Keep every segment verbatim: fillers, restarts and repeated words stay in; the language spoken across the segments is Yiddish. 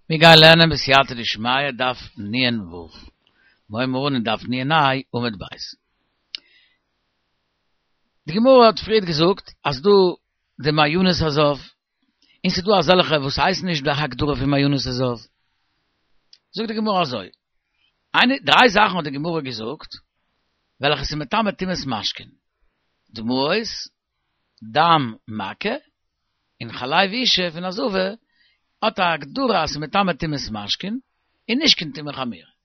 מיר גייען לערנען בסייעתא דשמיא דף נ"ו. מיר הייבן אן אין דף נ"ה עמוד ב'. די גמרא האט פריערט געזאגט אז דא די מעיינות הזב, און ס'איז דא אזעלכע וואס הייסן נישט די הגדרה פון מעיינות הזב. זאגט די גמרא אזוי, איינע, דריי זאכן האט די גמרא געזאגט וועלכע ס'איז מטמא טומאת משקין, דמעות, דם מכה, און חלב אשה פון א זבה האט א הגדרה אז ס'איז מטמא טומאת משקין און נישט קיין טומאה חמורה.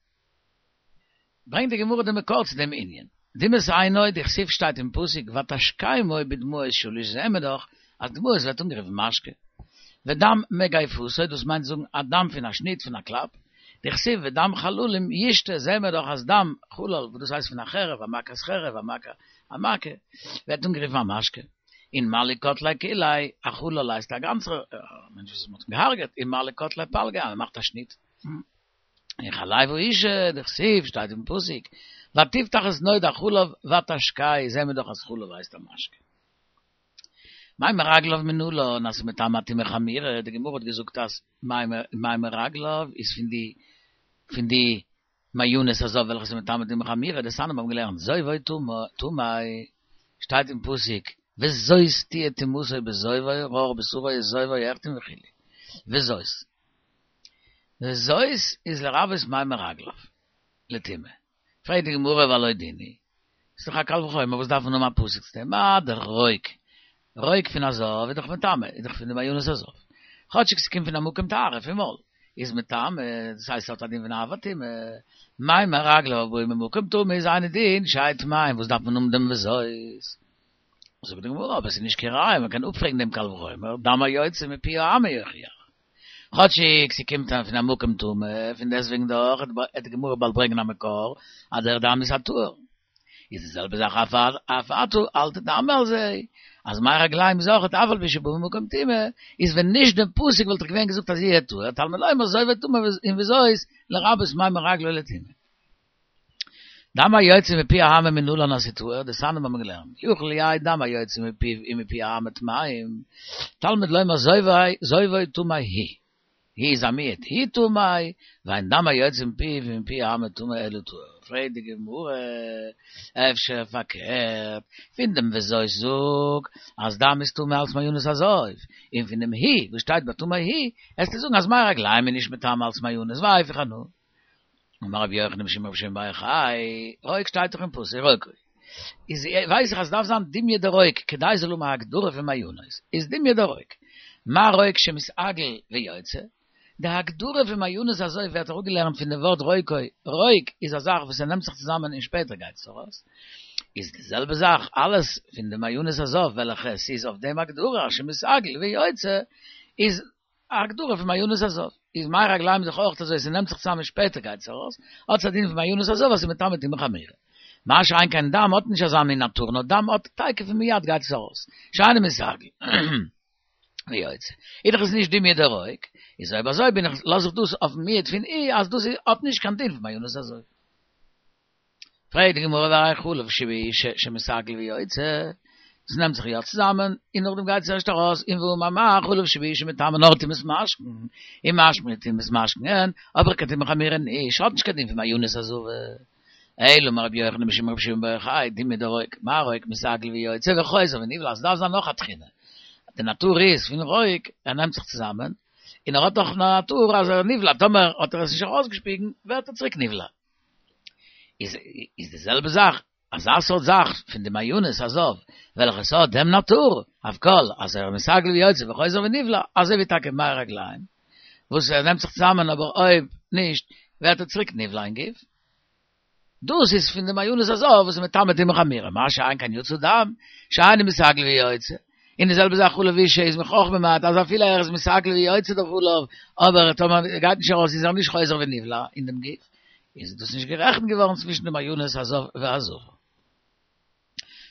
ברענגט די גמרא די מקור צו דעם ענין. דמעת עינו דכתיב שטייט אין פסוק ותשקמו בדמעות שליש זעהן מיר דאך אז דמעות ווערט אנגערופן משקה. ודם מגפתו דאס מיינט זאגן א דם פון א שניט פון א קלאפ, דכתיב ודם חללים ישתה זעהן מיר דאך אז דם חלל וואס דאס הייסט פון א חרב א מכת חרב א מכה א מכה ווערט אנגערופן א משקה. און מה לי קטליה כוליה, א חלל הייסט א גאנצער מענטש וואס מ'האט אים געהארגעט, און מה לי קטליה פלגיה, אז מ'מאכט א שניט. און חלב האשה, דכתיב, שטייט אין פסוק, ותפתח את נוד החלב ותשקהו, זעהן מיר דאך אז חלב הייסט א משקה. מי מרגליו מנלן, אז ס'איז מטמא טומאה חמורה, די גמרא האט געזאגט אז מי מרגליו איז פון די פון די מעיינות הזב וועלכע איז מטמא טומאה חמורה, דתניא מיר האבן געלערנט זובו טמא, שטייט אין פסוק וזאת תהיה טומאתו בזובו ערור בשרו וזובו החתים וכו', וזאת וזאת איז לרבות מי מרגליו לטומאה, פרעגט די גמרא והלא דין הוא, ס'איז דאך א קל וחומר וואס דארף מען האבן א פסוק צו דעם, מה דאך רוק, רוק פון א זב איז דאך מטמא, איז דאך פון די מעיינות הזב, כאטשיג ס'קומט פון א מקום טהרה פון מויל, איז מטמא, דאס הייסט ס'האט א דין פון אב הטומאה, מי מרגליו הבאים ממקום טמא איז אינו דין שיהיו טמאים, וואס דארף מען האבן דעם וזאת? זאגט די גמרא, אבער ס'איז נישט קיין ראיה, מ'קען אפפרעגן דעם קל וחומר, דם היוצא מפי האמה יוכיח. כאטשיג ס'קומט פון א מקום טמא, פון דעסטוועגן דאך וועט די גמרא באלד ברענגען א מקור אז דער דם איז א טהור. איז די זעלבע זאך אף אתה אל תדמה על זה, אז מי רגליים איז אויך אף על פי שבא ממקום טומאה, איז ווען נישט דעם פסוק וואלט איך געווען געזאגט אז יהיה טהור, תלמוד לומר זובו טמא און וזאת לרבות מי מרגלו לטומאה. דם היוצא מפי האמה מנלן אז ס'טהור, דתניא מיר האבן געלערנט, יכול יהא דם היוצא מפיו ומפי האמה טמאים, תלמוד לומר זובו טמא הוא. הוא איז א מיעוט, הוא טמא, ואין דם היוצא מפיו ומפי האמה טמא אלא טהור. פרעגט די גמרא, אפשר פארקערט, פון דעם וזאת זאג אז דם איז טמא אלס מעיינות הזב, און פון דעם הוא וואס שטייט ביי טמא הוא, עסטו זאגן אז מי רגליים איז נישט מטמא אלס מעיינות, והיפוך אנא. אמר רבי יוחנן משום רבי שמעון בר יוחאי, רוק שטייט דאך אין פסוק רוקו. איז ווייס איך אז ס'דארף זיין דומיא דרוק כדי זאל האבן א הגדרה פון מעיינות, איז דומיא דרוק. מה רוק שמתעגל ויוצא? די הגדרה פון מעיינות הזב ווערט אראפגעלערנט פון די ווארט רוקו, רוק איז א זאך וואס ער נעמט זיך צוזאמען און שפעטער גייט עס ארויס. איז די זעלבע זאך אלעס פון די מעיינות הזב וועלכע ס'איז אויף דעם הגדרה שמתעגל ויוצא איז א הגדרה פון מעיינות הזב. איז מי רגליים דאך אויך אזוי, ס'נעמט זיך צוזאמען שפעטער גייט עס ארויס, האט עס א דין פון מעיינות הזב אז ס'איז מטמא טומאה חמורה. מה שאין כן דם האט נישט אזא מין נאטור, נאר דם האט תיכף ומיד גייט עס ארויס, שאינו מתעגל ויוצא. איז דאך עס נישט דומיא דרוק, איז אויב אזוי בין איך לאז איך דאס אויפן מיעוט פון הוא אז דאס האט נישט קיין דין פון מעיינות הזב. פרעגט די גמרא והרי חלב שבאשה שמתעגל ויוצא, עס נעמט זיך יא צוזאמען און נאכדעם גייט עס ערשט ארויס, און והאמר מר חלב שבאשה מטמא נאר טומאת משקין, און משמע טומאת משקין אין, אבער קיין טומאה חמורה נישט, האט נישט קיין דין פון מעיינות הזב. אלא אמר רבי יוחנן משום רבי שמעון בר יוחאי, דומיא דרוק, מה רוק מתעגל ויוצא וחוזר ונבלע, עס דארף זיין נאך א תכונה, די נאטור איז פון רוק, ער נעמט זיך צוזאמען, און ער האט נאך א נאטור אז ער נבלע, טאמער האט ער עס נישט ארויסגעשפיגן ווערט ער צוריק נבלע. איז איז די זעלבע זאך, אזא סארט זאך פון די מעיינות הזב, וועלכע ס'האט דעם נאטור, אויף כל, אז ער מתעגל ויוצא וחוזר ונבלע, אזוי ווי טאקע מי רגליים, וואס ער נעמט זיך צוזאמען אבער אויב נישט ווערט ער צוריק נבלע אין גוף. דאס איז פון די מעיינות הזב וואס איז מטמא טומאה חמורה, מה שאין כן יצא דם, שאינו מתעגל ויוצא. און די זעלבע זאך חלב אשה איז מוכרח ממעט אז אפילו ער איז מתעגל ויוצא דער חלב, אבער טאמער גייט נישט ארויס איז ער נישט חוזר ונבלע אין דעם גוף, איז דאס נישט גערעכנט געווארן צווישן די מעיינות הזב והזבה.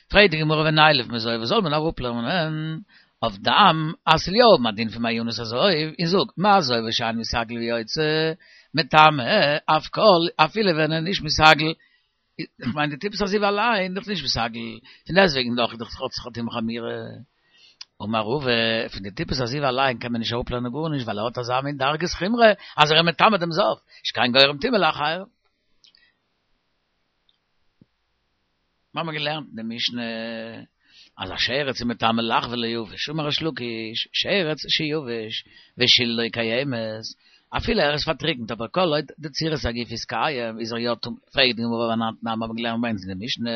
פרעגט די גמרא ונילף מזובה זאל מען אראפלערנען אויף דם אז ס'זאל יא האבן א דין פון מעיינות הזב און זאג מה זובה שאינו מתעגל ויוצא מטמא אף כל אפילו ווען ער איז נישט מתעגל איך מיין די טיפת הזיבה אליין דאך נישט מתעגל פון דעסטוועגן דאך איז דאך האט זיך א טומאה חמורה אמר רבא, פון די טיפת הזיבה אליין קען מען נישט אראפלערנען גארנישט, ווייל ער האט אזא מין דרגת חומרא, אז ער איז מטמא דעם זב, שכן גורם טומאה לאחרים. מיר האבן געלערנט אין די משנה אז א שרץ איז מטמא לח וליבש, אמר ריש לקיש, שרץ שיבש ושלדו קיימת, אפילו ער איז פארטריקנט אבער כל עוד די צורת הגוף איז קיים איז ער יא טמא, פרעגט די גמרא והא אנן תנן מיר האבן געלערנט ביי אונז אין די משנה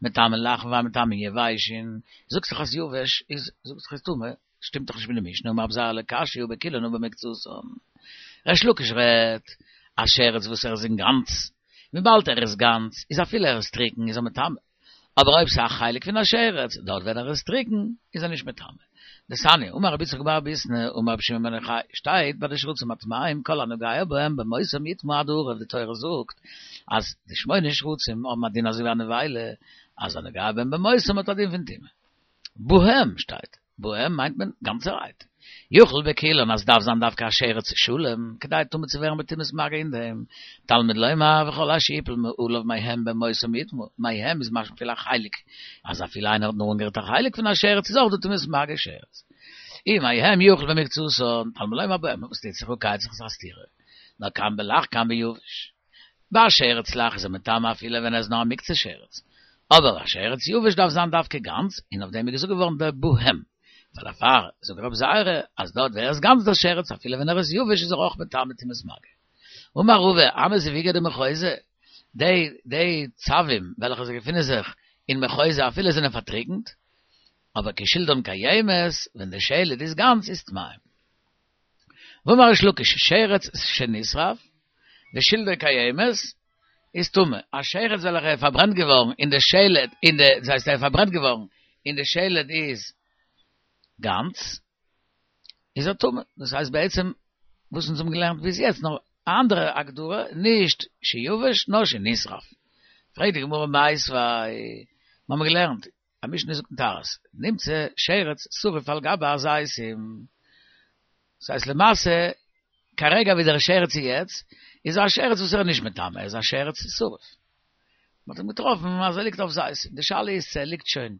מטמאין לחין ומטמאין יבשין, זאגסט דאך אז יבש איז זאגסט דאך איז טמא, שטימט דאך נישט מיט די משנה, אמר רבי זירא לא קשיא הא בכולן הא במקצתן. ריש לקיש רעדט א שרץ וואס ער איז אינגאנץ, וויבאלד ער איז גאנץ איז אפילו ער איז טריקן איז ער מטמא, אבער אויב ס'איז א חלק פון א שרץ, דארט ווען ער איז טריקן איז ער נישט מטמא. דתניא, אמר רבי יצחק בר ביסנא, אמר רבי שמעון בן יוחאי, שטייט ביי די שרצים הטמאים כל הנוגע בהם במותם יטמא עד הערב, די תורה זאגט אז די שמונה שרצים האבן א דין אזוי ווי א נבילה, אז הנוגע בהם במותם האט א דין פון טומאה. בהם שטייט, בהם מיינט מען גאנצערהייט. יוכל בכולן אז דארף זיין דווקא א שרץ שלם כדי טמא צו ווערן בטומאת מגע אין דעם, תלמוד לומר וכל אשר יפול מעליו מהם במותם יטמא, מהם איז משמע אפילו א חלק, אז אפילו איינער האט נאר אנגערירט א חלק פון א שרץ איז אויך דא טומאת מגע שרץ. ומהם יוכל במקצתן, תלמוד לומר בהם, וואס טוט זיך הא כיצד ס'איז א סתירה, נאר כאן בלח כאן ביבש. ביי א שרץ לח איז ער מטמא אפילו ווען ער איז נאר א מקצת שרץ, אבער א שרץ יבש דארף זיין דווקא גאנץ, און אויף דעם איז געזאגט געווארן דער בהם, ווייל דערפאר זאגט רבי זירא אז דארט ווער איז גאנץ דער שרץ אפילו ווען ער איז יבש איז ער אויך מטמא טומאת מגע. אמר רבא, הני זיווגי דמחוזא, די די צבים וועלכע זיי געפינען זיך אין מחוזא אפילו זענען פארטריקנט, אבער כי שלדן קיימת, ווען די שלד איז גאנץ איז טמאים. ואמר ריש לקיש, שרץ שנשרף, ושלדו קיימת, איז טמא. א שרץ וועלכע איז פארברענט געווארן און די שלד, און די, דאס הייסט ער איז פארברענט געווארן און די שלד איז גאנץ, איז ער טמא. דאס הייסט בעצם וואס אונז האבן געלערנט ביז יעצט, נאר א אנדערע הגדרה, נישט שיבש נאר שנשרף. פרעגט די גמרא מיתיבי, מיר האבן געלערנט, א משנה זאגט אין טהרות, נמצא שרץ שרוף על גבי הזיתים. דאס הייסט למעשה, כרגע ווי דער שרץ איז יעצט, איז ער א שרץ וואס ער איז נישט מטמא, ער איז א שרץ שרוף. מען האט אים געטראפן אז ער ליגט אויף זיתים, די שאלה איז צו ער ליגט שוין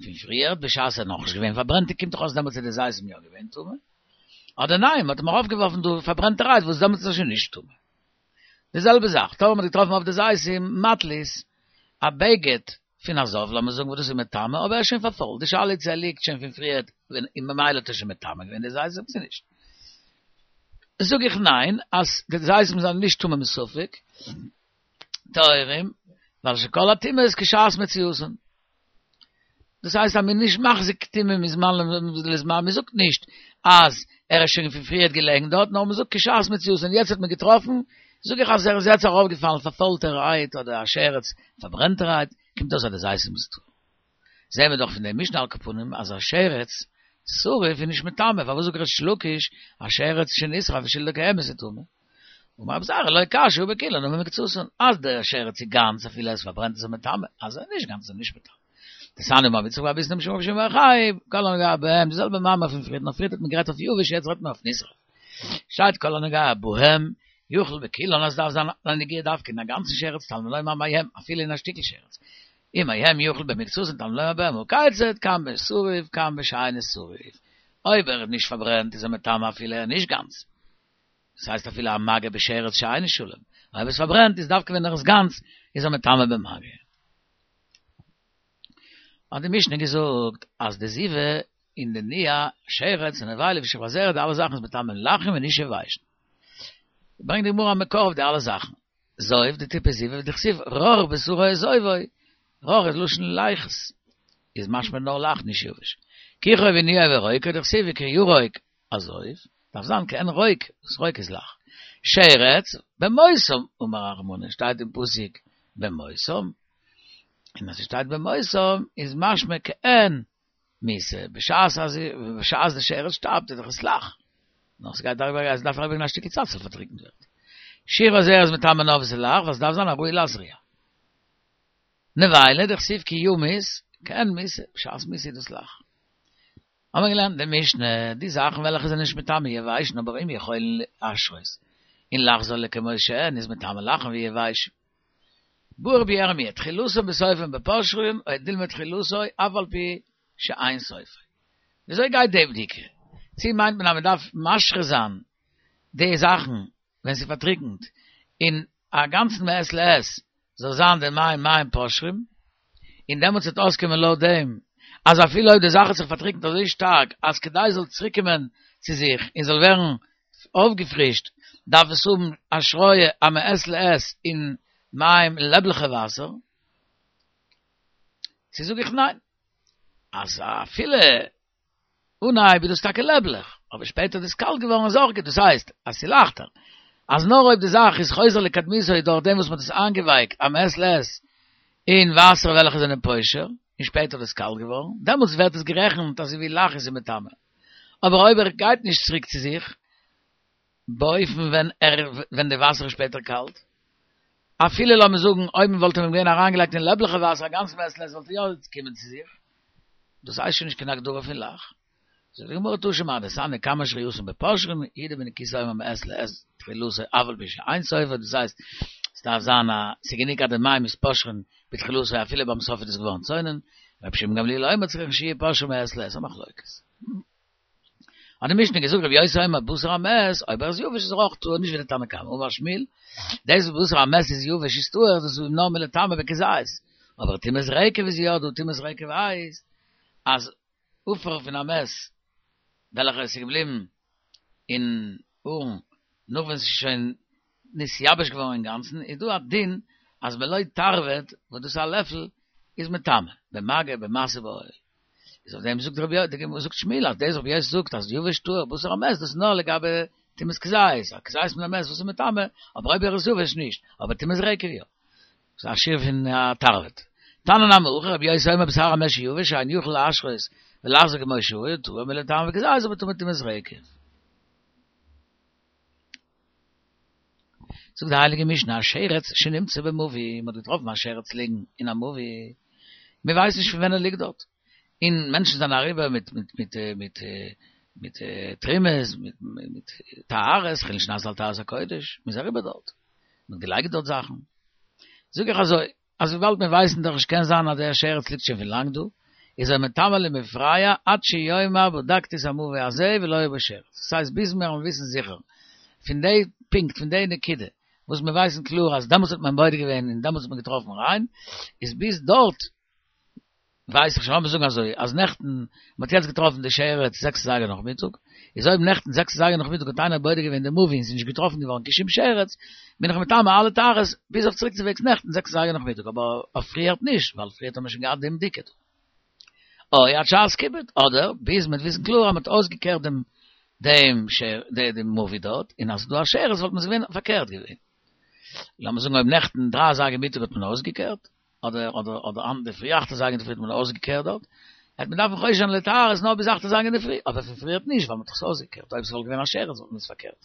פון פריער, בשעת ער איז נאכנישט געווען פארברענט, קומט דאך אויס דעמאלטס איז די זיתים יא געווען טמא, אדער ניין, מען האט אים ארויפגעווארפן דא פארברענטערהייט וואס דעמאלטס איז ער שוין נישט טמא. די זעלבע זאך, טאמער מען האט געטראפן אויף די זיתים מטלית, א בגד פון א זב, לאמיר זאגן וואס דאס איז מטמא, אבער ער איז שוין פארפוילט, די שאלה איז צו ער ליגט שוין פון פריערט און ממילא האט ער שוין מטמא געווען די זיתים צו נישט. זאג איך ניין, אז די זיתים זענען נישט טמא מספק, טהורים, ווייל שכל הטומאות כשעת מציאותן. דאס הייסט אז מ'איז נישט מחזיק טומאה מזמן לזמן, מ'זאגט נישט אז ער איז שוין פון פריערט געלעגן דארט, נאר מ'זאגט כשעת מציאותן, יעצט האט מען געטראפן, זאג איך אז ער איז יעצט ארויפגעפאלן פארפוילטערהייט אדער א שרץ פארברענטערהייט, קומט אויס אז די זיתים איז טהור. זעהן מיר דאך פון דעם משנה על כל פנים אז א שרץ שרוף איז נישט מטמא, פארוואס זאגט ריש לקיש א שרץ שנשרף ושלדו קיימת איז טמא? אמר רבי זירא לא קשיא הא בכולן הא במקצתן, אז דער שרץ איז גאנץ אפילו ער איז פארברענט איז ער מטמא, אז ער איז נישט גאנץ איז ער נישט מטמא. דתניא אמר רבי יצחק בר ביסנא משום רבי שמעון בר יוחאי, כל הנוגע בהם, די זעלבע מאמר פון פריערט, נאר פריערט האט מען גערעדט אויף יבש יעצט רעדט מען אויף נשרף. שטייט כל הנוגע בהם, יוכל בכולן אז דארף זיין א נגיעה דווקא אין א גאנצן שרץ תלמוד לומר מהם אפילו אין א שטיקל שרץ. ומהם יוכל במקצתן תלמוד לומר בהם הא כיצד כאן בשרוף כאן בשאינו שרוף. אויב ער איז נישט פארברענט איז ער מטמא אפילו ער איז נישט גאנץ. דאס הייסט אפילו א מגע בשרץ שאינו שלם, אויב עס פארברענט איז דווקא ווען ער איז גאנץ איז ער מטמא במגע. האט די משנה געזאגט אז די זיבה און די ניעה, שרץ און נבילה ושכבת זרע די אלע זאכן איז מטמא לחים און נישט יבשים. ברענגט די גמרא א מקור אויף די אלע זאכן. זוב די טיפה זיבה דכתיב רך בשרו את זובו, רך איז לשון ליחות, איז משמע נאר לח נישט יבש. כיחו וניעו ורוקו דכתיב כי ירוק הזוב, דארף זיין כעין רוק, וואס רוק איז לח. שרץ, במותם, אמר רחמנא, שטייט אין פסוק במותם, און אז ס'שטייט במותם איז משמע כעין מיתה, בשעת אז בשעת די שרץ שטארבט איז דאך עס לח, נאר ס'גייט אריבער עס דארף אריבערגיין א שטיקל צייט ס'זאל פארטריקנט ווערן. שכבת זרע איז מטמא נאר וואו ס'איז לח, ווייל ס'דארף זיין הראוי להזריע. נבילה דכתיב כי ימות, כעין מיתה, בשעת מיתה איז דאס לח. האבן מיר געלערנט אין די משנה, די זאכן וועלכע זענען נישט מטמא יבשין אבער אם יכולין להשרות און לחזור לכמות שהן איז מטמא לחין ויבשין. בעי רבי ירמיה, תחילתן בסופן בפושרין או דילמא תחילתו אף על פי שאין סופו. וויאזוי גייט די בדיקה? צי מיינט מען אז מען דארף משרה זיין די זאכן ווען ס'איז פארטריקנט אין א גאנצן מעת לעת זאל זיין די מים מים פושרים, און דעמאלטס וועט אויסקומען לויט דעם אז אפילו אויב די זאך האט זיך פארטריקנט אזוי שטארק אז כדי עס זאל צוריקקומען צו זיך און זאל ווערן אויפגעפרישט דארף עס האבן השריה א מעת לעת אין מים לעבליכע וואסער, צו זאג איך ניין אז אפילו אנהייב איז דאס טאקע לעבליך, אבער שפעטער איז דאס קאלט געווארן איז אויך גוט, דאס הייסט אז ס'איז לייכטער אז נאר אויב די זאך איז חוזר לקדמותו דורך דעם וואס מ'האט עס איינגעווייקט א מעת לעת אין וואסער וועלכע זענען פושר, און שפעטער איז עס קאלט געווארן, דעמאלטס ווערט עס גערעכנט אזוי ווי לח איז מטמא. אבער אויב ער גייט נישט צוריק צו זיך, באופן ווען ער ווען די וואסער איז שפעטער קאלט, אפילו לאמיר זאגן אויב מען וואלט אים געווען אריינגעלייגט אין לעבליכע וואסער א גאנץ מעת לעת וואלט ער יא געקומען צו זיך, דאס הייסט שוין נישט קיין הגדרה פון לח. זאגט די גמרא תא שמע דתניא כמה שריותן בפושרין יהודה בן כיסא אומר מעת לעת תחילתו אף על פי שאין סופו דאס הייסט עס דארף זיין א ס'איז גענוג אז די מים איז פושרין בתחילתו אפילו ביים סוף איז עס געווארן צונן רבי שמעון גמליאל אומר צריכין שיהיו פושרין מעת לעת א מחלוקת האט די משנה געזאגט רבי יוסי אומר בשר המת אויב ער איז יבש איז ער אויך טהור נישט ווי די תנא קמא אמר שמואל דאס וואס בשר המת איז יבש איז טהור דאס איז נאר מלטמא בכזית אבער טומאת רקב איז יא דא טומאת רקב הייסט אז עפר פון א מת וועלכער עס איז געבליבן אין ארון נאך ווען עס איז שוין נתייבש געווארן אינגאנצן, איז דא א דין אז מלא תרווד, וואס דאס איז א לעפל, איז מטמא, במגע במשא באוהל. איז אויף דעם זאגט רבי זאגט שמואל אז דאס רבי יוסי זאגט אז יבש טהור בשר המת דאס איז נאר לגבי טומאת כזית, א כזית מן המת וואס איז מטמא, אבער אויב ער איז יבש נישט, אבער טומאת רקב יא. ס'איז א שיעור פון א תרווד. תנא נמי הכי רבי יוסי אומר בשר המת שיבש שאין יכול להשרות ולחזור כמו שהיה טהור מלטמא בכזית אבער טמא טומאת רקב. זאגט די הייליגע משנה א שרץ שנמצא במבוי, מ'האט געטראפן א שרץ ליגן אין א מבוי, מ'ווייסט נישט פון ווען ער ליגט דארט, און מענטשן זענען אריבער מיט מיט מיט מיט מיט תרומות, מיט מיט טהרות, חולין שנעשו על טהרת הקודש, מ'איז אריבער דארט, מ'האט געלייגט דארט זאכן. זאג איך אזוי, אז וויבאלד מיר ווייסן דאך נישט קען זיין אז דער שרץ ליגט שוין פון לאנג דא, איז ער מטמא למפרע עד שיאמר בדקתי את המבוי הזה ולא היה בו שרץ. דאס הייסט ביז מיר וועלן וויסן זיכער פון די פונקט פון די נקודה וואס מיר ווייסן קלאר אז דעמאלטס האט מען בודק געווען און דעמאלטס האט מען געטראפן ריין, איז ביז דארט ווייס איך שוין, לאמיר זאגן אזוי, אז נעכטן, מען האט יעצט געטראפן די שרץ זעקס אזייגער נאכמיטאג, איז אויב נעכטן זעקס אזייגער נאכמיטאג האט איינער בודק געווען די מבוי און ס'איז נישט געטראפן געווארן קיין שום שרץ, בין איך מטמא אלע טהרות ביז אויף צוריקצווועגס נעכטן זעקס אזייגער נאכמיטאג, אבער אויף פריערט נישט, ווייל פריערט האט מען שוין געהאט דעם בדיקה דא. או עד שעת כיבוד, אדער ביז מען וועט וויסן קלאר אז מען האט אויסגעקערט דעם דעם דעם מבוי דארט, און אז ס'איז דא א שרץ וואלט מען עס געווען פארקערט געווען. לאמיר זאגן אויב נעכטן דרײַ אזייגער מיטאג האט מען אויסגעקערט, אדער אדער אדער אינדערפרי אכט אזייגער אינדערפרי האט מען אויסגעקערט דארט, העט מען דארפן חושש זיין לטהרות נאר ביז אכט אזייגער אינדערפרי, אבער פון פריערט נישט ווייל מען האט דאך עס אויסגעקערט, אויב ס'וואלט געווען א שרץ וואלט מען עס פארקערט.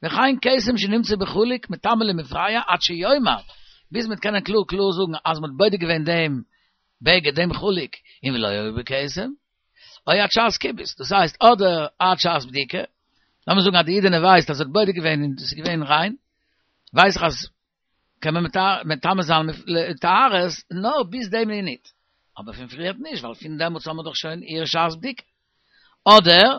וכן כתם שנמצא בחלוק מטמא למפרע עד שיאמר, ביז מ'וועט קענען קלאר קלאר זאגן אז מ'האט בודק געווען דעם בגד דעם חלוק און ולא היה בו כתם, או עד שעת כיבוס, דאס הייסט אדער עד שעת בדיקה, לאמיר זאגן אז די אידענע ווייסט אז זי האט בודק געווען און עס איז געווען ריין, ווייס איך אז קען מען מטמא זיין לטהרות נאר ביז די מינוט, אבער פון פריערט נישט, ווייל פון דעמאלטס האבן מיר דאך שוין איר שעת בדיקה. אדער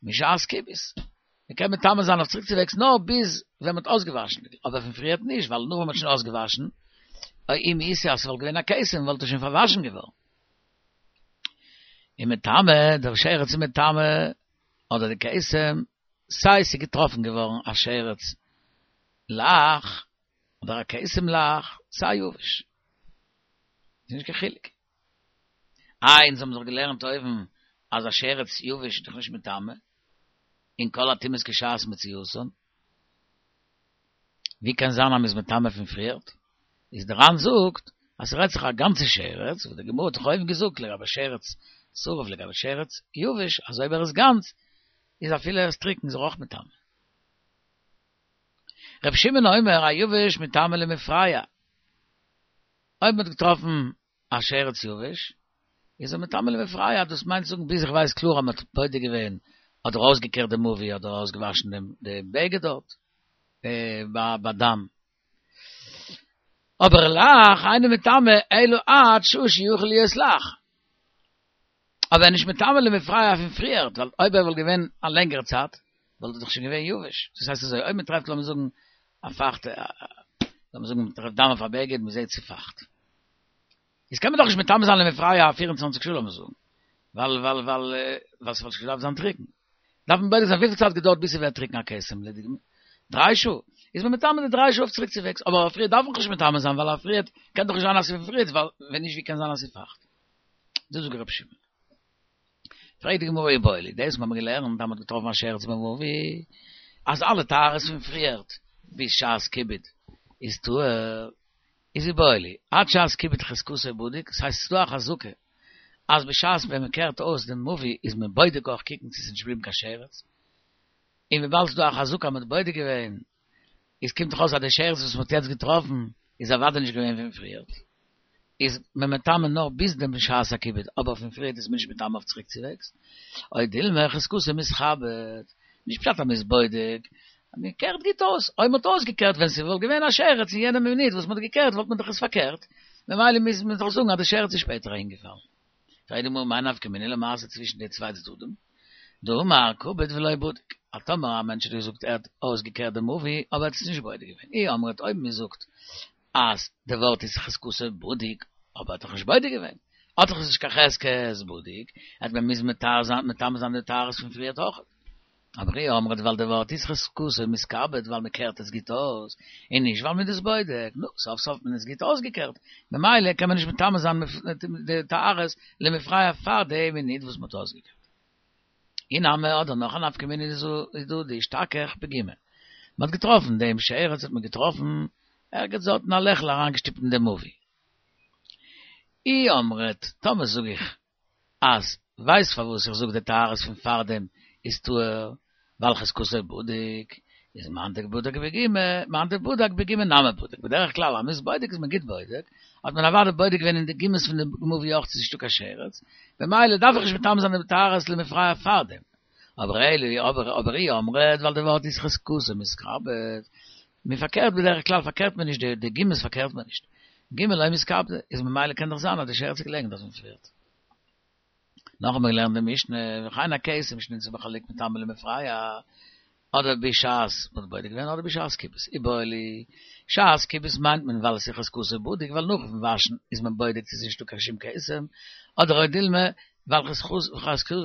משעת כיבוס, מען קען מטמא זיין אויף צוריקצווועגס נאר ביז ווען מען האט אויסגעוואשן, אבער פון פריערט נישט, ווייל נאך ווען מען האט שוין אויסגעוואשן, אם איתא אז ס'וואלט געווען א כתם וואלט עס שוין פארוואשן געווארן. און מטמא, דער שרץ איז מטמא, אדער די כתם, סיי ס'איז געטראפן געווארן א שרץ לח, אדער א כתם לח, סיי יבש. איז נישט קיין חילוק. איי, אונז האבן דאך געלערנט אויבן אז א שרץ יבש איז דאך נישט מטמא, און כל הטומאות כשעת מציאותן. ווי קען זיין אז מ'איז מטמא פון פריערט? איז דער ר"ן זאגט אז ס'רעדט זיך א גאנצע שרץ, וואס די גמרא האט דאך אויבן געזאגט לגבי שרץ שרוף לגבי שרץ יבש, אז אויב ער איז גאנץ איז אפילו ער איז טרוקן איז ער אויך מטמא. ר' שמעון אומר היבש מטמא למפרע, אויב מ'האט געטראפן א שרץ יבש, איז ער מטמא למפרע, דאס מיינט זאגן ביז איך ווייס קלאר אז מ'האט בודק געווען אדער אויסגעקערט די מבוי אדער אויסגעוואשן דעם בגד דארט בדם. אבער לח אינו מטמא אלא עד שעה שיכול להיות לח. אבער נישט מטמא למפרע פון פריער, ווייל אויב ער וואלט געווען א לענגערע צייט, וואלט ער דאך שוין געווען יבש. דאס הייסט אזוי, אויב מען טרעפט, לאמיר זאגן, א פייכטע, לאמיר זאגן, מען טרעפט דם אויף א בגד, מען זעט ס'איז פייכט. איז קען מען דאך נישט מטמא זיין למפרע פֿיר און צוואַנציק שעה, לאמיר זאגן. ווייל, ווייל, ווייל, ווייל ס'וואלט שוין געדארפט זיין טרוקן. דארף מען בודק זיין וויפיל צייט געדויערט ביז ס'ווערט טרוקן א כתם, לדוגמא, דריי שעה. איז מען מטמא די דריי שעה אויף צוריקצווועגס, אבער אויף פריער דארף מען נישט מטמא זיין, ווייל אויף פריער קען דאך נישט זיין אז ס'איז פון פריער, ווייל ווען נישט ווי קען זיין אז ס'איז פייכט. דאס זאגט רבי שמעון. פרעגט די גמרא איבעיא להו, דאס האבן מיר געלערנט, אז מ'האט געטראפן א שרץ במבוי, אז אלע טהרות פון פריערט ביז שעת כיבוד איז טהור, איז איבעיא להו, עד שעת כיבוד חזקתו בדוק, ס'הייסט ס'איז דא א חזקה אז בשעת ווען מ'קערט אויס דעם מבוי איז מען בודק אויך קוקן צו ס'איז נישט געבליבן קיין שרץ, און וויבאלד ס'איז דא א חזקה אז מ'האט בודק געווען, איז קומט דאך אויס אז די שרץ וואס מ'האט יעצט געטראפן איז אוודאי נישט געווען פון פריערט, איז מען מטמא נאר ביז דעם שעת הכיבוד, אבער פון פריערט איז מען נישט מטמא אויף צוריקצווועגס. או דילמא חזקתו מתכבד, נישט פשט אז מ'איז בודק, מען קערט גוט אויס, אויב מ'האט אויסגעקערט ווען ס'וואלט געווען א שרץ אין יענע מינוט וואס מ'האט געקערט וואלט מען דאך עס פארקערט, ממילא מוז מען דאך זאגן אז די שרץ איז שפעטער אהינגעפאלן. פרעגט די גמרא מאי נפקא מינה למעשה צווישן די צוויי צדדים, דאמר כיבד ולא בדק, אז טאמער א מענטש האט געזאגט ער האט אויסגעקערט די מבוי אבער ער האט עס נישט בודק געווען, אי אמרת אויב מען זאגט אז די ווארט איז חזקתו בדוק אבער ער האט דאך נישט בודק געווען, האט דאך עס נישט קיין חזקת בדוק, וועט מען מוזן מטהר זיין מטמא זיין די טהרות פון פריערט אויך. אבער אי אמרת ווייל די ווארט איז חזקתו מתכבד ווייל מען קערט עס גוט אויס, און נישט ווייל מען איז עס בודק, נו, סוף סוף האט מען עס גוט אויסגעקערט, ממילא קען מען נישט מטמא זיין די טהרות למפרע פאר די מינוט וואס מען האט אויסגעקערט. אי נמי אדער נאך א נפקא מינה איז דא דאשתכח בגומא. מען האט געטראפן דעם שרץ האט מען געטראפן ערגעץ דארט אין א לעכל אריינגעשטופט אין דעם מבוי. אי אמרת, טאמער זאג איך אז ווייסט פארוואס איך זאג די טהרות פון פארדעם איז טהור, ווייל חזקתו בדוק, איז מאן דבדק בגומא, מאן דבדק בגומא נמי בדק, בדרך כלל אז מ'איז בודק איז מען גוט בודק, האט מען אוודאי בודק געווען אין די גומות פון די מבוי אויך צו ס'איז נישטא קיין שרץ, ממילא דארף איך נישט מטמא זיין די טהרות למפרע פארדעם. אבער אלא אבער אבער אי אמרת ווייל די ווארט איז חזקתו מתכבד, מען פארקערט בדרך כלל פארקערט מען נישט די די גומות פארקערט מען נישט, גומא לא מתכבדי, איז ממילא קען דאך זיין אז די שרץ איז געלעגן דארט פון פריערט. נאך האבן מיר געלערנט די משנה, וכן הכתם שנמצא בחלוק מטמא למפרע, אדער בשעת מ'האט בודק געווען אדער בשעת כיבוס, איבעיא להו, שעת כיבוס מיינט מען ווייל עס איז חזקתו בדוק ווייל נאכן וואשן איז מען בודק צו עס איז נישטא קיין שום כתם, אדער או דילמא ווייל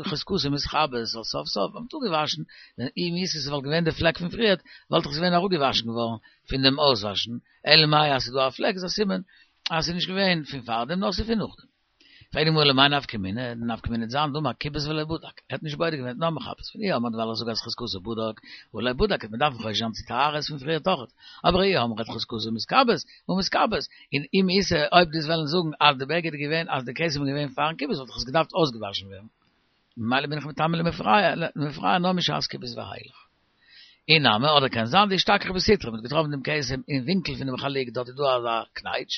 חזקתו מתכבד זאל סוף סוף ווען מ'האט אפגעוואשן, ווען אם איז עס וואלט געווען די פלעק פון פריערט וואלט דאך עס געווען אראפגעוואשן געווארן פון דעם אויסוואשן, אלא מאי אז ס'איז דא א פלעק איז א סימן אז ס'איז נישט געווען פון פארדעם נאר ס'איז פון נאכדעם. פרעגט די גמרא למאי נפקא מינה, די נפקא מינה וועט זיין דאמר כיבס ולא בדק, ער האט נישט בודק געווען נאר מכבס, אי אמרת ווייל איך זאג אז חזקתו בדק הא לא בדק וועט מען דארפן חושש זיין צו טהרות פון פריער אויכעט, אבער אי אמרת חזקתו מתכבד הא מתכבס, און אם איתא אויב דו'סט וועלן זאגן אז די בגד איז געווען אז די כתם איז געווען פארן כיבוס וואלט דאך עס געדארפט אויסגעוואשן ווערן, ממילא בין איך מטמא למפרע נאר משעת כיבוס ואילך. אי נמי, אדער קען זיין דאשתכח בסיטרא, מ'האט געטראפן דעם כתם אין ווינקל פונעם חלוק, דארט איז דא אזא קנייטש.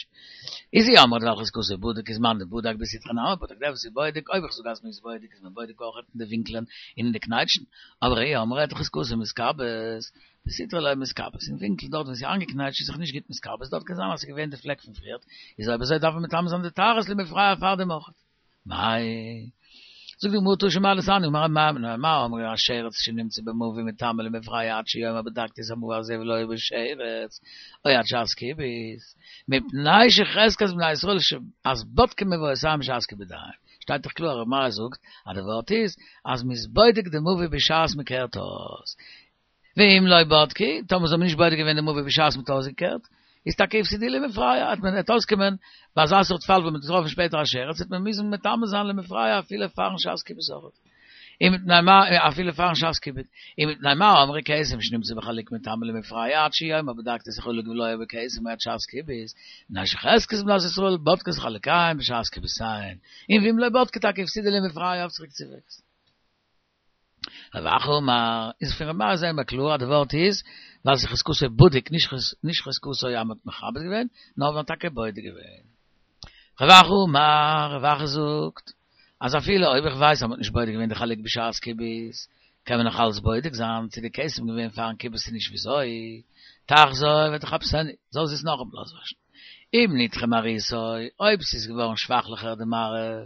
איז אי אמרת ווייל חזקתו בדוק איז מאן דבדק בסיטרא נמי בדק, דער וואס איז בודק, אויב איך זאג אז מ'איז בודק איז מען בודק אויך אין די ווינקלען און אין די קנייטשן, אבער אי אמרת חזקתו מתכבד, בסיטרא לא מתכבד, אין ווינקל דארט וואו ס'איז איינגעקנייטשט איז זיך נישט גוט מתכבד, דארט קען זיין אז ס'איז געווען די פלעק פון פריערט, איז אויב אזוי דארף מען מטמא זיין די טהרות למפרע פאר דעם אויך. מאי. זאגט די גמרא תא שמע דתניא אמר מר מה אמרו השרץ שנמצא במבוי מטמא למפרע עד שיאמר בדקתי את המבוי הזה ולא היה בו שרץ או עד שעת כיבוס מפני שחזקת בני ישראל אז בודקים מבויותיהם בשעת כיבודיהם שטייט דאך קלאר ר' מאיר זאגט אז די ווארט איז אז מ'איז בודק די מבוי בשעת מ'קערט אויס ואם לא בדקו, טאמער זיי האבן נישט בודק געווען די מבוי בשעת מ'האט אויסגעקערט, איז טאקע הפסידוהו למפרע, וועט מען וועט אויסקומען, ביי אזא סארט פאל וואו מ'האט געטראפן שפעטער א שרץ, וועט מען מוזן מטמא זיין למפרע אפילו פארן שעת כיבוס אויך. ומפני מה, אפילו פארן שעת כיבוד. ומפני מה אמרו כתם שנמצא בחלוק מטמא למפרע עד שיאמר בדקתי את החלוק ולא היה בו כתם עד שעת כיבוס, מפני שחזקת בנות ישראל בודקות חלוקיהן בשעת כיבוסיהן, און ואם לא בדקו טאקע הפסידוהו למפרע אויף צוריקצווועגס. רב אחא אמר, איז פון ר' מאיר זעהן מיר קלאר אז די ווארט איז ווייל ס'איז חזקתו בדוק נישט נישט חזקתו אז מ'האט מכבס געווען, נאר מ'האט טאקע בודק געווען. רב אחא אמר, רב אחא זאגט, אז אפילו אויב איך ווייס אז מ'האט נישט בודק געווען די חלוק בשעת כיבוס, קען מען נאך אלץ בודק זיין צו די כתם געווען פארן כיבוס צו נישט וויאזוי, תחזור ותכבסנו, זאל זי עס נאכאמאל אויסוואשן. אם נדחה מראיתו, אויב ס'איז געווארן שוואכליכער די מראה,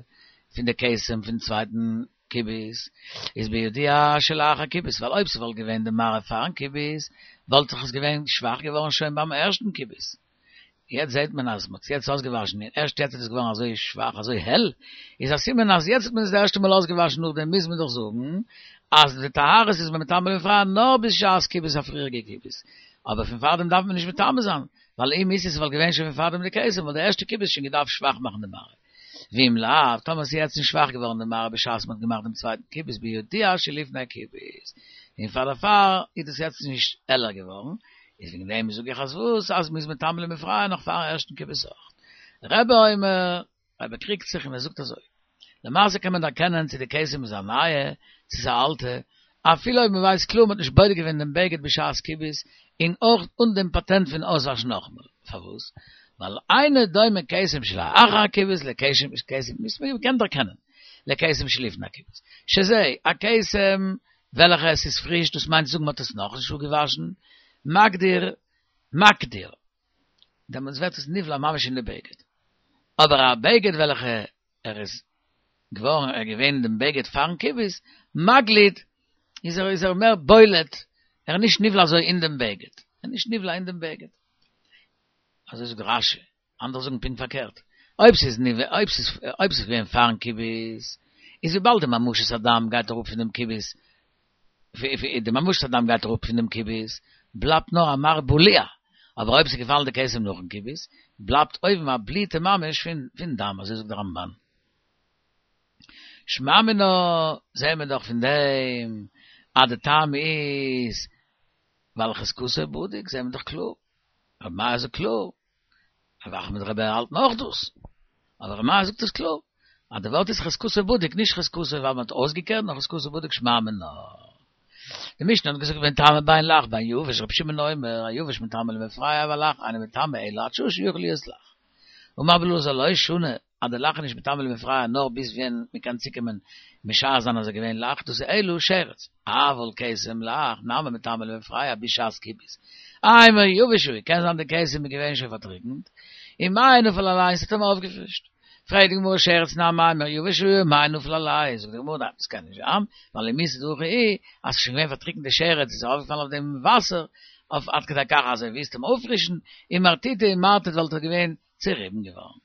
פון די כתם פון צווייטן כיבוס, איז בידוע שלאחר כיבוס, ווייל אויב ס'וואלט געווען די מראה פארן כיבוס, וואלט זיך עס געווען שוואך געווארן שוין ביים ערשטן כיבוס. יעצט זעט מען אז מ'האט עס יעצט אויסגעוואשן און ערשט יעצט איז עס געווארן אזוי שוואך אזוי העל, איז א סימן אז יעצט האט מען עס די ערשטע מאל אויסגעוואשן נאכדעם מוז מען דאך זאגן אז די טהרות איז מען מטמא למפרע נאר בשעת כיבוס א פריעריגע כיבוס, אבער פון פארדעם דארף מען נישט מטמא זיין, ווייל אם איז עס וואלט געווען שוין פון פארדעם די כתם וואלט די ערשטע כיבוס שוין געדארפט שוואך מאכן די מראה. ואם לאו, טאמער ס'איז יעצט נישט שוואך געווארן די מראה בשעת מ'האט געמאכט דעם צווייטן כיבוס בידוע שלפני כיבוס, און פאר דערפאר איז דאס יעצט נישט העלער געווארן, איז וועגן דעם זאג איך אז וואס אז מ'איז מטמא למפרע נאך פארן ערשטן כיבוס אויך. רבי אומר, רבי קריגט זיך און ער זאגט אזוי, למעשה קען מען דערקענען צו די כתם איז א נייע צו ס'איז א אלטע, אפילו אויב מ'ווייסט קלאר מ'האט נישט בודק געווען דעם בגד בשעת כיבוס, און אויך אן דעם פאטענט פון אויסוואשן נאכאמאל. פארוואס? ווייל אינו דומה כתם שלאחר הכיבוס לכתם כתם מ'קען דערקענען לכתם שלפני הכיבוס. שזה, א כתם וועלכע עס איז פריש, דאס מיינט צו זאגן מ'האט עס נאכנישט אפגעוואשן, מגדיר, מקדיר, דעמאלטס ווערט עס נבלע ממש אין די בגד. אבער א בגד וועלכע ער איז געווארן ער געווען אין דעם בגד פארן כיבוס, מגליד, איז ער איז ער מער בולט, ער איז נישט נבלע אזוי אין דעם בגד, ער איז נישט נבלע אין דעם בגד. אזוי זאגט רש"י, אנדערע זאגן פונקט פארקערט, אויב ס'איז נבלע, אויב ס'איז אויב ס'איז געווען פארן כיבוס, איז וויבאלד די ממשות הדם גייט אראפ פון דעם כיבוס, די ממשות הדם גייט אראפ פון דעם כיבוס, בלייבט נאר א מראה בלוע, אבער אויב ס'איז געפאלן די כתם נאכן כיבוס, בלייבט אויבן א בליטה ממש פון פון דם, אזוי זאגט דער רמב"ן. שמע מינה, זעהן מיר דאך פון דעם אז די טעם איז ווייל חזקתו בדוק, זעהן מיר דאך קלאר, רבי מאיר זאגט קלאר, רב אחא מיט רבי האלטן אויך דאס, אבער רבי מאיר זאגט עס קלאר, אז די ווארט איז חזקתו בדוק, נישט חזקתו ווייל מען האט אויסגעקערט, נאר חזקתו בדוק שמע מינה. די משנה האט געזאגט מטמא בין לח בין יבש, רבי שמעון אומר, היבש מטמא למפרע והלח אינו מטמא אלא עד שעה שיכול להיות לח. אמר רבי אלעזר לא שנו, אז די לח איז נישט מטמא למפרע נאר ביז ווען מען קען צוקומען משער זיין אז ער געווען לח, דאס איז אלא שרץ, אבל כתם לח נמי מטמא למפרע בשעת כיבוס, אימא יבש הוא, קען זיין די כתם איז געווען שוין פארטריקנט, ומעין נפל עליה ס'האט אים אויפגעפרישט. פרעגט די גמרא שרץ נמי אימא יבש הוא ומעין נפל עליה, זאגט די גמרא ניין דאס קען נישט זיין, ווייל אם איתא דהכי הוא, אז ס'איז שוין געווען פארטריקנט די שרץ איז ארויפגעפאלן אויף דעם וואסער, אויף עד כדי כך אז ער ווילסט אים אויפפרישן, אימרטיטי אימרטיט וואלט ער געווען צוריבן געווארן.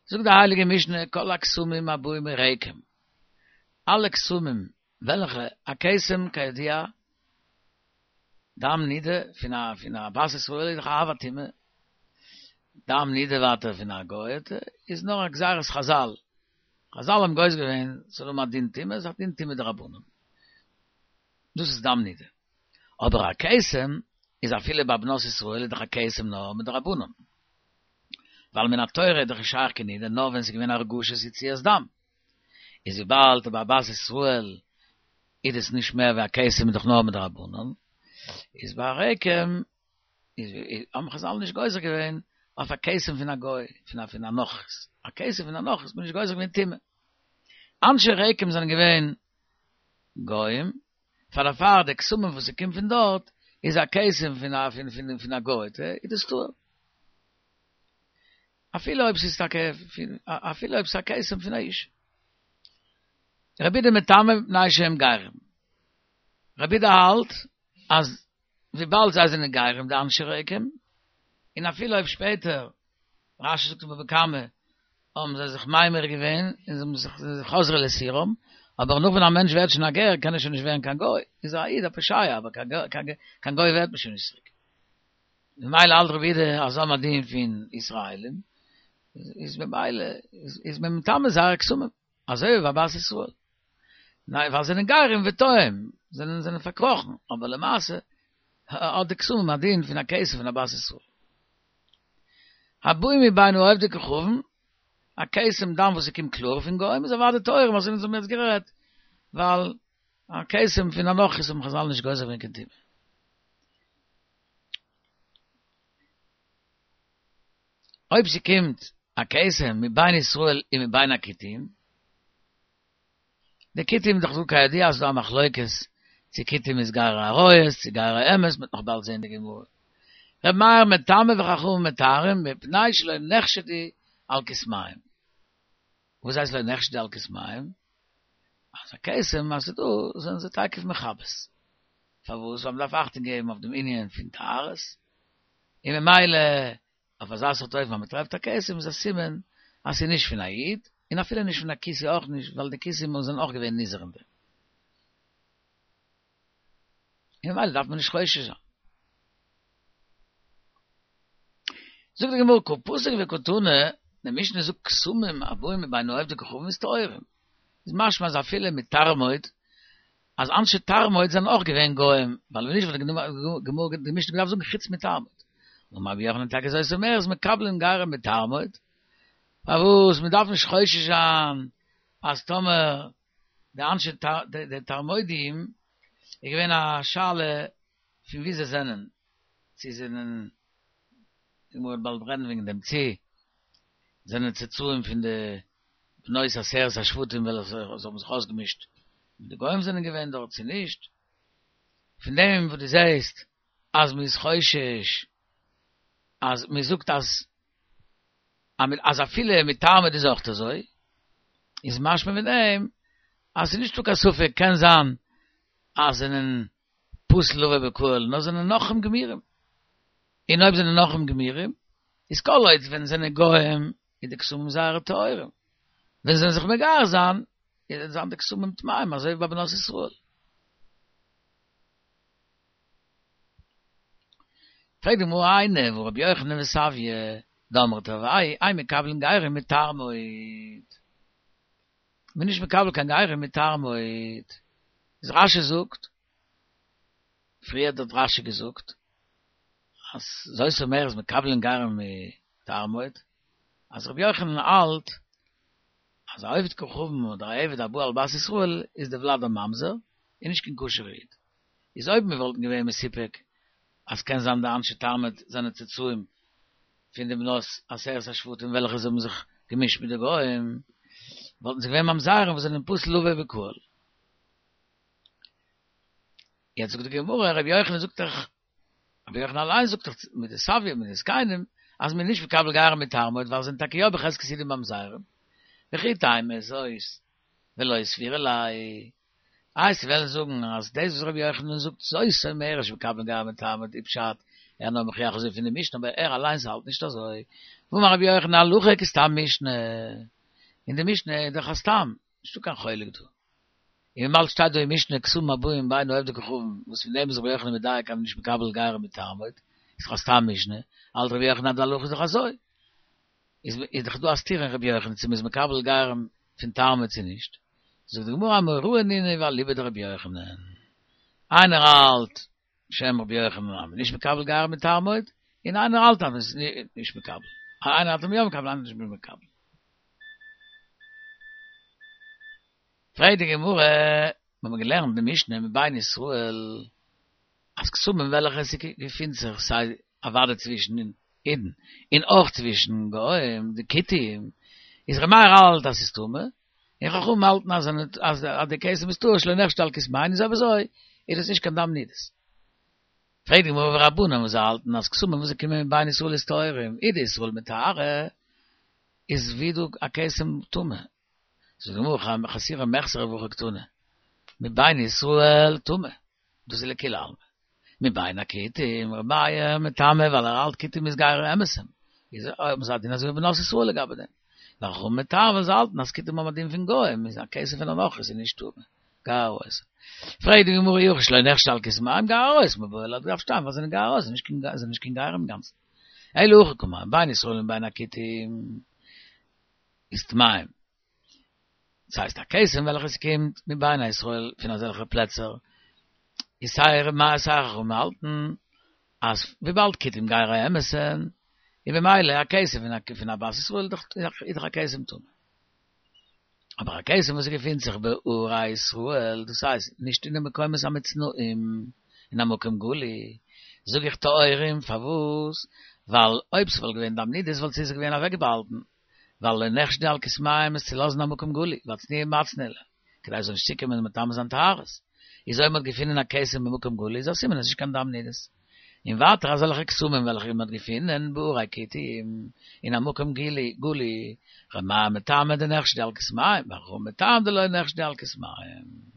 זאגט די הייליגע משנה כל הכתמים הבאים מרקם, אלע כתמים וועלכע א כתם כידוע דם נידה פון א פון א בת ישראל איז דאך א אב הטומאה, דם נידה ווייטער פון א גוי'טע איז נאר א גזירת חזל, חזל האבן גוזר געווען ס'זאל האבן א דין טומאה, איז א דין טומאה דרבנן, דאס איז דם נידה, אבער א כתם איז אפילו ביי בנות ישראל איז דאך א כתם נאר מדרבנן, ווייל מן התורה איז דאך נישט שייך קיין נידה נאר ווען ס'איז געווען הרגשת יציאת דם, איז וויבאלד ביי בת ישראל איז עס נישט מער ווי א כתם איז דאך נאר מדרבנן, איז ביי רקם איז האבן חזל נישט גוזר געווען אויף א כתם פון א גוי, פון א פון א נכרית, א כתם פון א נכרית איז מען נישט גוזר געווען טומאה. אנשי רקם זענען געווען גוים, פאר דערפאר די כתמים וואס ס'קומט פון דארט איז א כתם פון א פון פון פון א גוי'טע, איז דאס טהור. אפילו אויב ס'איז טאקע אפילו אויב ס'איז א כתם פון א אשה. רבי יהודה מטמא מפני שהם גרים. רבי יהודה האלט אז וויבאלד זיי זענען גרים די אנשי רקם, און אפילו אויב שפעטער, רשי זאגט אין בבא קמא, האבן זיי זיך ממיר געווען און זיי האבן זיך חזרו לסורם, אבער נאך ווען א מענטש ווערט שוין א גר קען ער שוין נישט ווערן קיין גוי, איז ער א איד א פושע אבער קיין גוי ווערט מען שוין נישט צוריק. ממילא האלט רבי יהודה אז זיי האבן א דין פון ישראלים, איז ממילא איז מען מטמא זייערע כתמים, אזוי ווי ביי בת ישראל. ניין ווייל זיי זענען גרים וטועים, זענען זענען פארקראכן, אבער למעשה האט די כתמים א דין פון א כתם פון א בת ישראל. הבאים מבין העובדי כוכבים, א כתם דם וואס ס'קומט קלאר פון גוים איז אוודאי טהורים אזוי ווי אונז האבן יעצט גערעדט, ווייל א כתם פון א נכרית האבן חזל נישט גוזר געווען קיין טומאה. אויב ס'קומט א כתם מבין ישראל און מבין הכותים, די כותים דאך דא כידוע אז ס'דא א מחלוקת צו כותים איז גרי אריות צו גרי אמת, מ'וועט נאך באלד זעהן די גמרא. ר' מאיר מטמא וחכמים מטהרים מפני שלא נחשדו על כתמיהם. וואס הייסט לא נחשדו על כתמים? אז א כתם אז ס'איז דא, זענען זיי תיכף מכבס. פארוואס? ווייל מ'דארף אכטונג געבן אויף דעם ענין פון טהרות. און ממילא, אויף אזא סארט אופן אז מ'טרעפט א כתם איז א סימן אז ס'איז נישט פון א איד, און אפילו נישט פון א כותי אויך נישט, ווייל די כותים זענען אויך געווען נזהר אין דעם. און ממילא דארף מען נישט חושש זיין. זאגט די גמרא קא פסיק וקא תני, די משנה זאגט כתמים הבאים מבין העובדי כוכבים איז טהורים. איז משמע אז אפילו מתרמוד, אז אנשי תרמוד זענען אויך געווען גוים, ווייל ווען נישט וואלט די גמרא די משנה געדארפט זאגן חוץ מתרמוד. אמר רבי יוחנן טאקע זאת אומרת מקבלין גרים מתרמוד, פארוואס מען דארף נישט חושש זיין אז טאמער די אנשי די תרמודים איז געווען א שאלה פון ווי זיי זענען, צו זענען, די גמרא וועט באלד רעדן וועגן דעם, צו זענען צאצאים פון די בנות עשרת השבטים וועלכע זיי האבן זיך אויסגעמישט מיט די גוים זענען געווען דארט צו נישט, פון דעם וואס דו זעסט אז מען איז חושש אז מען זאגט אז אז אפילו מתרמוד איז אויך אזוי, איז משמע פון דעם אז ס'איז נישטא קיין ספק, קען זיין אז זענען פסול לבוא בקהל, נאר זענען נכרים גמורים. און אויב זענען נכרים גמורים, איז כל עוד ווען זענען גוים איז די כתמים זייערע טהורים. ווען זיי זענען זיך מגייר זיין, איז זיין די כתמים טמאים, אזוי ווי ביי בנות ישראל. פרעגט די גמרא היינו והא רבי יוחנן וסביא דאמרי תרוייהו אין מקבלין גרים מתרמוד. מ'איז נישט מקבל קיין גרים מתרמוד. איז רשי זאגט, פריער האט רשי געזאגט, אז זאת אומרת מקבלין גרים מתרמוד, אז רבי יוחנן האלט אז א עובד כוכבים אדער א עבד הבא על בת ישראל איז די ולד הממזר, און נישט קיין כשר'ע איד. איז אויב מיר וואלטן געווען מסופק אז קען זיין די אנשי תרמוד זענען צאצאים פון די בנות עשרת השבטים וועלכע זיי האבן זיך געמישט מיט די גוים, וואלטן זיי געווען ממזרים וואס זענען פסול לבוא בקהל. יעצט זאגט די גמרא, רבי יוחנן זאגט דאך, רבי יוחנן אליין זאגט דאך מיט די סביא מיט די זקנים, אז מ'איז נישט מקבל גרים מתרמוד ווייל זיי זענען טאקע יא בחזקת יהודים ממזרים. וכי תימא זאת ולא סבירא ליה. איי וועסט וועלן זאגן אז דאס וואס רבי יוחנן זאגט זאת אומרת שמקבלין גרים מתרמוד איז פשט ער נאר מוכיח אזוי פון די משנה אבער ער אליינס האלט נישט אזוי. והאמר רבי יוחנן הלכה כסתם משנה. אין די משנה איז דאך א סתם, נישטא קיין חולק דא. און וויבאלד שטייט דא אין משנה כתמים הבאים מבין העובדי כוכבים וואס פון דעם איז רבי יוחנן מדייק אז מ'איז נישט מקבל גרים מתרמוד, איז דאך א סתם משנה, האלט רבי יוחנן אז די הלכה איז דאך אזוי. איז איז דאך דא א סתירה אין רבי יוחנן צו מ'איז מקבל גרים פון תרמוד צו נישט. זאגט די גמרא אמוראי נינהו ואליבא דרבי יוחנן. איינער האלט בשם רבי יוחנן אז מ'איז נישט מקבל גרים מתרמוד, און איינער האלט אז מ'איז נישט מקבל. איינער האלט אז מ'איז יא מקבל איינער נישט מקבל. פרעגט די גמרא, מיר האבן געלערנט די משנה מבין ישראל, אז כתמים וועלכע עס געפינט זיך סיי אוודאי צווישן אידן און אויך צווישן גוים, די כותים, איז ר' מאיר האלט אז ס'איז טמא, און חכמים האלטן אז אז די כתם איז טהור שלא נחשדו על כתמיהן איז אויב אזוי איז דאס נישט קיין דם נידות. פרעגט די גמרא ורבנן וואס זיי האלטן אז כתמים וואס זיי קומען מבין ישראל איז טהורים, אי דישראל מטהרי איז ווי דא א כתם טמא. זאגט די גמרא חסורי מחסרא והכי קתני מבין ישראל טמא, דאס איז לכולי עלמא, מבין הכותים ר' מאיר מטמא ווייל ער האלט כותים איז גרי אמת'ן, איז האבן זיי א דין אזוי ווי בנות ישראל לגבי דעם, וחכמים מטהרין ווייל זיי האלטן אז כותים האבן א דין פון גוים איז א כתם פון א נכרי איז נישט טמא, גר ארויס. פרעגט די גמרא אי הכי שלא נחשדו על כתמיהם גר אריות מיבעי ליה דארף שטיין ווייל זיי זענען גר אריות זענען נישט קיין גרים אינגאנצן אלא הכי קאמר מבין ישראל ומבין הכותים איז טמאים. דאס הייסט א כתם וועלכע עס קומט מבין ישראל פון אזעלכע פלעצער איז סיי ר' מאיר סיי חכמים האלטן אז וויבאלד כותים גרי אמת'ן איז במילא א כתם פון א פון א בת ישראל איז דאך א כתם טמא. אבער א כתם וואס געפינט זיך בערי ישראל דאס הייסט נישט אין די מקומות המצנעים אין א מקום גלוי זאג איך טהורים פארוואס ווייל אויב ס'וואלט געווען דם נידות וואלט זי זיך געווען אוועקבאהאלטן ווייל לא נחשדו על כתמיהם עס צו לאזן א מקום גלוי, ואצנועי מצנעי להו, כדי זאל נישט צוקומען מטמא זיין טהרות. איז אויב מ'האט געפונען א כתם במקום גלוי איז א סימן אז עס איז נישט קיין דם נידות. און ווייטער אזעלכע כתמים וועלכע מ'האט געפונען בערי כותים אין א מקום גלי גלוי, ר' מאיר מטעמא דנחשדו על כתמיהם, וחכמים מטעם דלא נחשדו על כתמיהם.